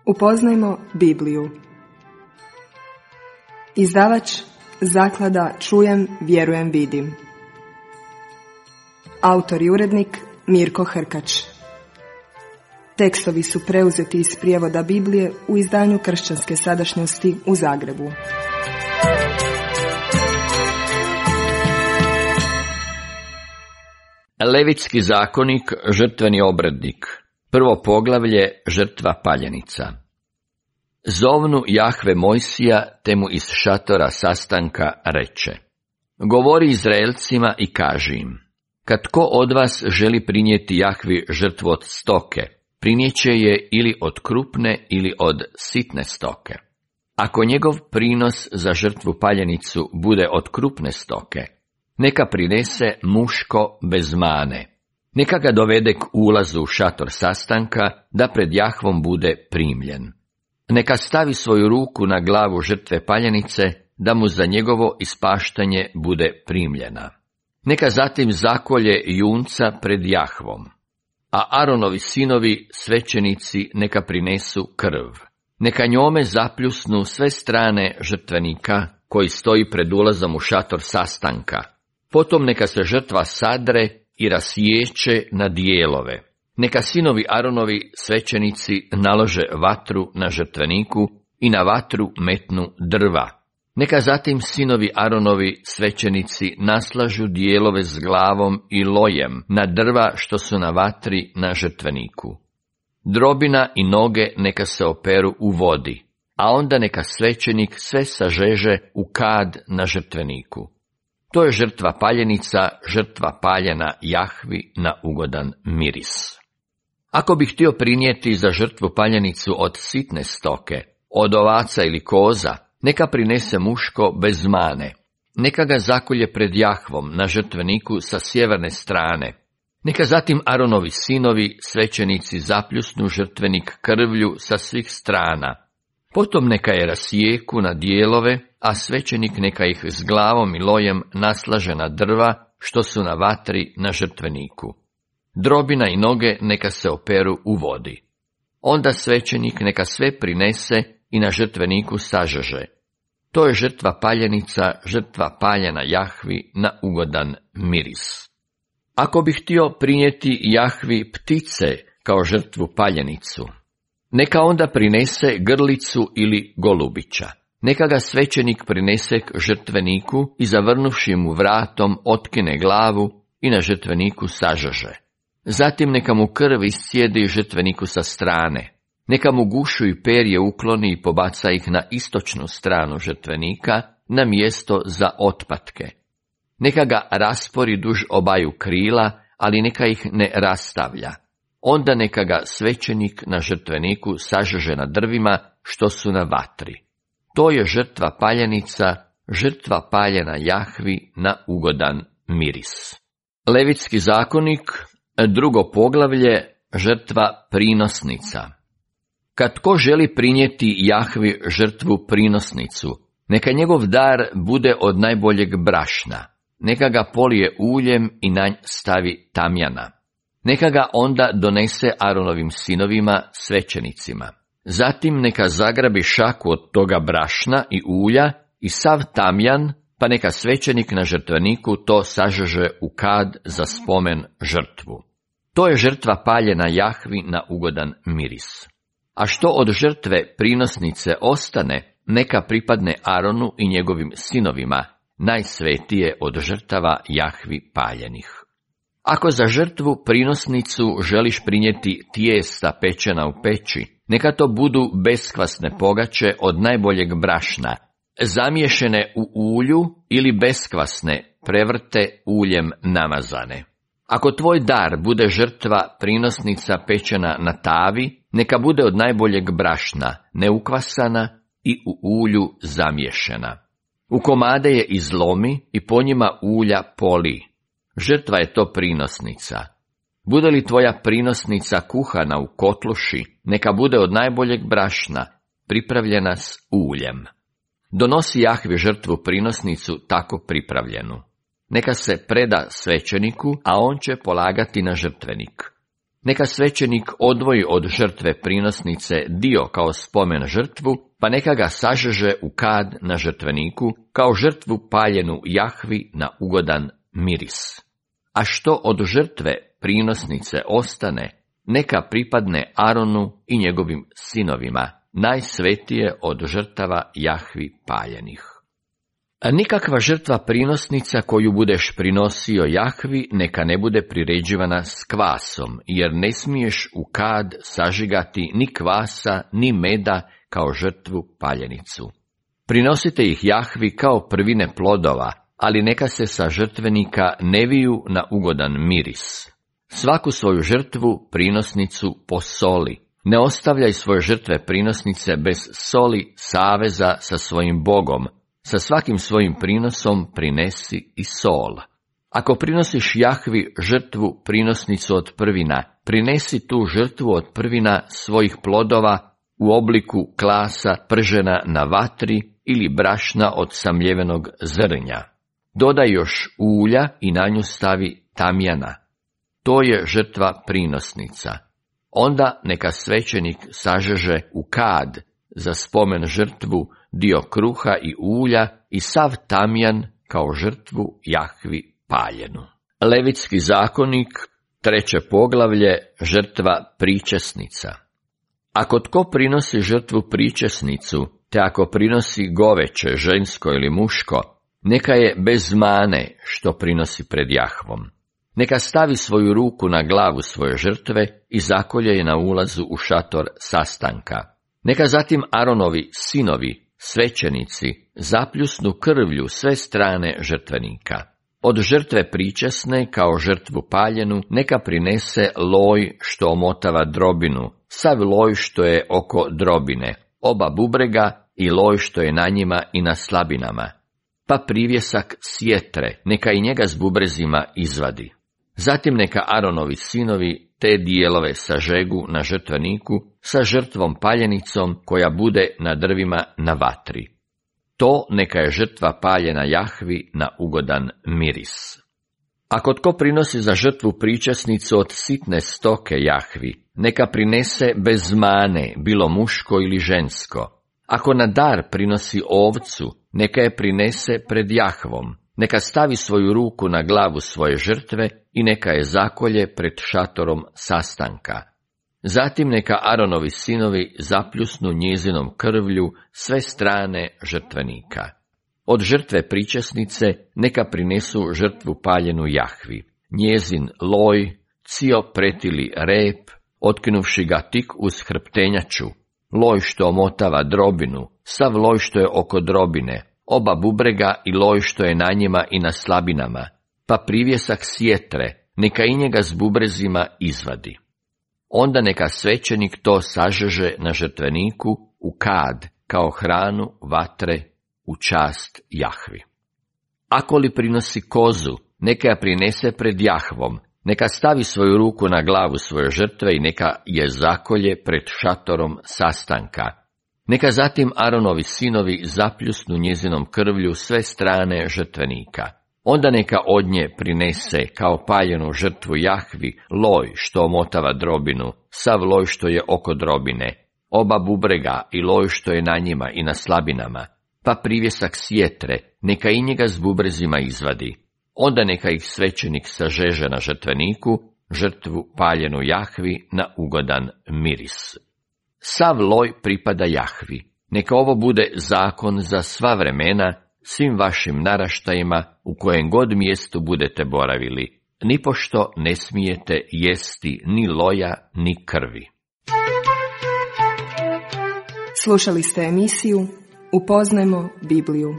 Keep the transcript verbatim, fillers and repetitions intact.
Upoznajmo Bibliju. Izdavač Zaklada Čujem, vjerujem, vidim. Autor i urednik Mirko Hrkač. Tekstovi su preuzeti iz prijevoda Biblije u izdanju Kršćanske sadašnjosti u Zagrebu. Levitski zakonik, žrtveni obrednik. Prvo poglavlje, žrtva paljenica. Zovnu Jahve Mojsija, te mu iz šatora sastanka reče: Govori Izraelcima i kaži im: Kad tko od vas želi prinijeti Jahvi žrtvu od stoke, prinijeće je ili od krupne ili od sitne stoke. Ako njegov prinos za žrtvu paljenicu bude od krupne stoke, neka prinese muško bez mane. Neka ga dovede k ulazu u šator sastanka, da pred Jahvom bude primljen. Neka stavi svoju ruku na glavu žrtve paljenice, da mu za njegovo ispaštanje bude primljena. Neka zatim zakolje junca pred Jahvom, a Aronovi sinovi, svećenici, neka prinesu krv. Neka njome zapljusnu sve strane žrtvenika koji stoji pred ulazom u šator sastanka. Potom neka se žrtva sadre i rasiječe na dijelove. Neka sinovi Aronovi, svećenici, nalože vatru na žrtveniku i na vatru metnu drva. Neka zatim sinovi Aronovi, svećenici, naslažu dijelove s glavom i lojem na drva što su na vatri na žrtveniku. Drobina i noge neka se operu u vodi, a onda neka svećenik sve sažeže u kad na žrtveniku. To je žrtva paljenica, žrtva paljena Jahvi na ugodan miris. Ako bi htio prinijeti za žrtvu paljenicu od sitne stoke, od ovaca ili koza, neka prinese muško bez mane. Neka ga zakolje pred Jahvom na žrtveniku sa sjeverne strane. Neka zatim Aronovi sinovi, svećenici, zapljusnu žrtvenik krvlju sa svih strana. Potom neka je rasijeku na dijelove, a svećenik neka ih s glavom i lojem naslaže na drva što su na vatri na žrtveniku. Drobina i noge neka se operu u vodi. Onda svećenik neka sve prinese i na žrtveniku sažeže. To je žrtva paljenica, žrtva paljena Jahvi na ugodan miris. Ako bi htio prinijeti Jahvi ptice kao žrtvu paljenicu, neka onda prinese grlicu ili golubića. Neka ga svećenik prinese k žrtveniku i zavrnuvši mu vratom otkine glavu i na žrtveniku sažeže. Zatim neka mu krv iscijedi žrtveniku sa strane. Neka mu gušu i perje ukloni i pobaca ih na istočnu stranu žrtvenika, na mjesto za otpatke. Neka ga raspori duž obaju krila, ali neka ih ne rastavlja. Onda neka ga svećenik na žrtveniku sažeže na drvima što su na vatri. To je žrtva paljenica, žrtva paljena Jahvi na ugodan miris. Levitski zakonik, drugo poglavlje, žrtva prinosnica. Kad tko želi prinijeti Jahvi žrtvu prinosnicu, neka njegov dar bude od najboljeg brašna. Neka ga polije uljem i na nj stavi tamjana. Neka ga onda donese Aronovim sinovima, svećenicima. Zatim neka zagrabi šaku od toga brašna i ulja i sav tamjan, pa neka svećenik na žrtveniku to sažeže u kad za spomen žrtvu. To je žrtva paljena Jahvi na ugodan miris. A što od žrtve prinosnice ostane, neka pripadne Aronu i njegovim sinovima, najsvetije od žrtava Jahvi paljenih. Ako za žrtvu prinosnicu želiš prinijeti tijesta pečena u peći, neka to budu beskvasne pogače od najboljeg brašna, zamiješene u ulju ili beskvasne, prevrte uljem namazane. Ako tvoj dar bude žrtva prinosnica pečena na tavi, neka bude od najboljeg brašna, neukvasana i u ulju zamiješena. U komade je izlomi i po njima ulja poli. Žrtva je to prinosnica. Bude li tvoja prinosnica kuhana u kotluši, neka bude od najboljeg brašna, pripravljena s uljem. Donosi Jahvi žrtvu prinosnicu tako pripravljenu. Neka se preda svećeniku, a on će polagati na žrtvenik. Neka svećenik odvoji od žrtve prinosnice dio kao spomen žrtvu, pa neka ga sažeže u kad na žrtveniku, kao žrtvu paljenu Jahvi na ugodan miris. A što od žrtve prinosnice ostane, neka pripadne Aronu i njegovim sinovima, najsvetije od žrtava Jahvi paljenih. A nikakva žrtva prinosnica koju budeš prinosio Jahvi neka ne bude priređivana s kvasom, jer ne smiješ u kad sažigati ni kvasa ni meda kao žrtvu paljenicu. Prinosite ih Jahvi kao prvine plodova, ali neka se sa žrtvenika ne viju na ugodan miris. Svaku svoju žrtvu prinosnicu posoli. Ne ostavljaj svoje žrtve prinosnice bez soli saveza sa svojim Bogom. Sa svakim svojim prinosom prinesi i sol. Ako prinosiš Jahvi žrtvu prinosnicu od prvina, prinesi tu žrtvu od prvina svojih plodova u obliku klasa pržena na vatri ili brašna od samljevenog zrnja. Dodaj još ulja i na nju stavi tamjana. To je žrtva prinosnica. Onda neka svećenik sažeže u kad za spomen žrtvu dio kruha i ulja i sav tamjan kao žrtvu Jahvi paljenu. Levitski zakonik, treće poglavlje, žrtva pričesnica. Ako tko prinosi žrtvu pričesnicu, te ako prinosi goveće, žensko ili muško, neka je bez mane što prinosi pred Jahvom. Neka stavi svoju ruku na glavu svoje žrtve i zakolje je na ulazu u šator sastanka. Neka zatim Aronovi sinovi, svećenici, zapljusnu krvlju sve strane žrtvenika. Od žrtve pričesne kao žrtvu paljenu neka prinese loj što omotava drobinu, sav loj što je oko drobine, oba bubrega i loj što je na njima i na slabinama, pa privjesak sjetre, neka i njega s bubrezima izvadi. Zatim neka Aronovi sinovi te dijelove sažegu na žrtveniku sa žrtvom paljenicom koja bude na drvima na vatri. To neka je žrtva paljena Jahvi na ugodan miris. Ako tko prinosi za žrtvu pričesnicu od sitne stoke Jahvi, neka prinese bez mane, bilo muško ili žensko. Ako na dar prinosi ovcu, neka je prinese pred Jahvom. Neka stavi svoju ruku na glavu svoje žrtve i neka je zakolje pred šatorom sastanka. Zatim neka Aronovi sinovi zapljusnu njezinom krvlju sve strane žrtvenika. Od žrtve pričesnice neka prinesu žrtvu paljenu Jahvi, njezin loj, cio pretili rep, otkinuvši ga tik uz hrptenjaču, loj što omotava drobinu, sav loj što je oko drobine, oba bubrega i loj što je na njima i na slabinama, pa privjesak sjetre, neka i njega s bubrezima izvadi. Onda neka svećenik to sažeže na žrtveniku u kad, kao hranu vatre u čast Jahvi. Ako li prinosi kozu, neka je prinese pred Jahvom, neka stavi svoju ruku na glavu svoje žrtve i neka je zakolje pred šatorom sastanka. Neka zatim Aronovi sinovi zapljusnu njezinom krvlju sve strane žrtvenika. Onda neka od nje prinese kao paljenu žrtvu Jahvi loj što omotava drobinu, sav loj što je oko drobine, oba bubrega i loj što je na njima i na slabinama, pa privjesak sjetre, neka i njega s bubrezima izvadi. Onda neka ih svećenik sažeže na žrtveniku, žrtvu paljenu Jahvi na ugodan miris. Sav loj pripada Jahvi. Neka ovo bude zakon za sva vremena, svim vašim naraštajima u kojem god mjestu budete boravili. Nipošto ne smijete jesti ni loja ni krvi. Slušali ste emisiju Upoznajmo Bibliju.